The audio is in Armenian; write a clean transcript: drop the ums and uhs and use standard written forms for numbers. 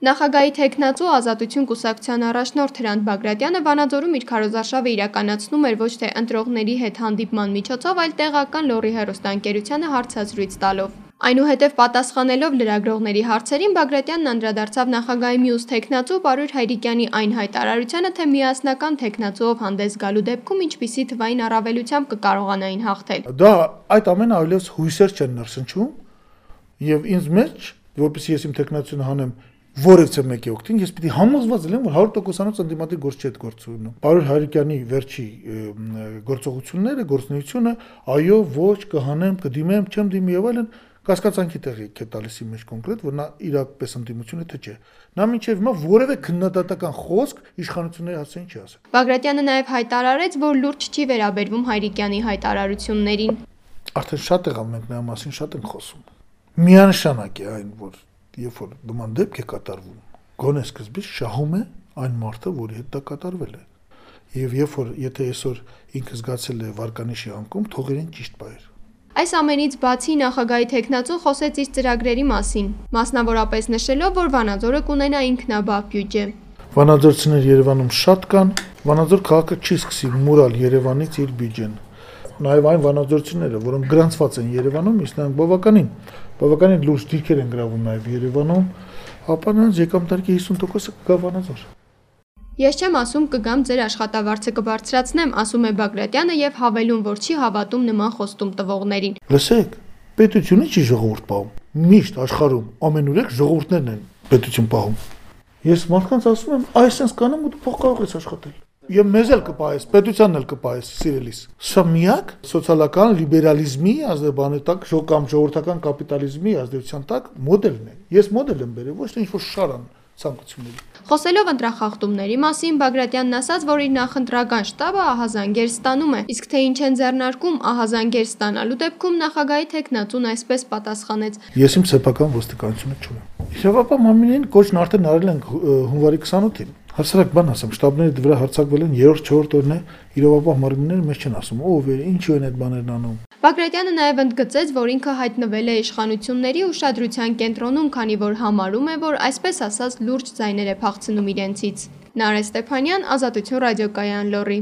Նախագահի թեկնածու Ազատություն կուսակցության առաջնորդ Հրանտ Բագրատյանը Վանաձորում իր քարոզարշավը իրականացնում էր ոչ թե ընտրողների հետ հանդիպման միջոցով, այլ տեղական լոռի հեռուստաընկերությանը հարցազրույց տալով։ Այնուհետև պատասխանելով լրագրողների հարցերին Բագրատյանն անդրադարձավ նախագահի մյուս թեկնածու Պարույր Հայրիկյանի այն հայտարարությանը, թե միասնական թեկնածուով հանդես գալու դեպքում ինչպիսի թվային առավելությամբ կկարողանային հաղթել։ Դա այդ ամենը այլևս հույսեր չեն ներշնչում, եւ ինձ մեջ, որպեսզի ես իմ թեկնածությունը հանեմ որևէ մեկի օգտին, ես պիտի համոզված լինեմ, որ 100%-անոց ընդդիմադիր գործ չի այդ գործունեությունը։ Պարույր Հայրիկյանի վերջի գործողությունները, գործունեությունը, այո, ոչ, կհանեմ, կդիմեմ, չեմ դիմի եւ այլն, կասկածանքի տեղի է տալիս իմ մեջ կոնկրետ, որ նա իրապես ընդդիմություն է թե չէ։ Նա մինչեւ հիմա որևէ քննադատական խոսք իշխանությունների հասցեին չի ասել։ Բագրատյանը նաեւ հայտարարեց, որ լուրջ չի վերաբերվում Հայրիկյանի հայտարարություններին։ Արդեն շատ եղավ մենք նրա մասին շատ ենք խոսում։ Միանշանակ է այն, որ երբ որ նման դեպք է կատարվում, գոնե սկզբից շահում է այն մարդը, որի հետ դա կատարվել է։ Եվ երբ որ եթե այսօր ինքը զգացել է վարկանիշի անկում, թողերին ճիշտ բայր։ Այս ամենից բացի նախագահի թեկնածուն խոսեց իր ծրագրերի մասին, մասնավորապես նշելով, որ Վանաձորը կունենա ինքնաբավ բյուջե։ Վանաձորցիներ Երևանում շատ կան, Վանաձոր քաղաքը չի սկսի մուրալ Երևանից իր բյուջեն։ Նաև այն վանաձորցիները, որոնք գրանցված են Երևանում, իսկ նրանք բավականին լուրջ դիրքեր են գրավում նաև Երևանում, ապա նրանց եկամտարկի 50%-ը կգա Վանաձոր։ Ես չեմ ասում կգամ ձեր աշխատավարձը կբարձրացնեմ, ասում է Բագրատյանը եւ հավելում, որ չի հավատում նման խոստում տվողներին։ Լսեք, պետությունը չի ժողովուրդ պահում։ Միշտ աշխարհում ամենուրեք ժողովուրդներն են պետություն պահում։ Ես մարդկանց ասում եմ, այսպես կանեմ ու դու փող կարող ես աշխատել։ Եվ մեզ էլ կպահես, պետությանն էլ կպահես սիրելիս։ Սա միակ սոցիալական լիբերալիզմի ազդեցիկ կամ ժողովրդական կապիտալիզմի ազդեցության տակ մոդելն է։ Ես մոդել եմ բերել, ոչ թե ինչ-որ շարան ցանկությունների։ Խոսելով ընտրախախտումների մասին, Բագրատյանն ասաց, որ իր նախընտրական շտաբը ահազանգեր ստանում է, իսկ թե ինչ են ձեռնարկում ահազանգեր ստանալու դեպքում նախագահի թեկնածուն այսպես պատասխանեց. Ես իմ սեփական ոստիկանությունը չունեմ։ Իրավապահ մարմինին կոչն արդեն արել են հունվարի 28-ին։ Հասարակ բան ասեմ, շտաբների վրա հարձակվել են 3-4 օրն է, իրավապահ մարմինները մեզ չեն ասում, ով է, ինչու են այդ բաներն անում։ Բագրատյանը նաև ընդգծեց, որ ինքը հայտնվել է իշխանությունների ուշադրության կենտրոնում, քանի որ համարում է, որ այսպես ասած լուրջ ձայներ է փախցնում իրենցից։ Նարէ Ստեփանյան, Ազատություն ռադիոկայան, Լոռի։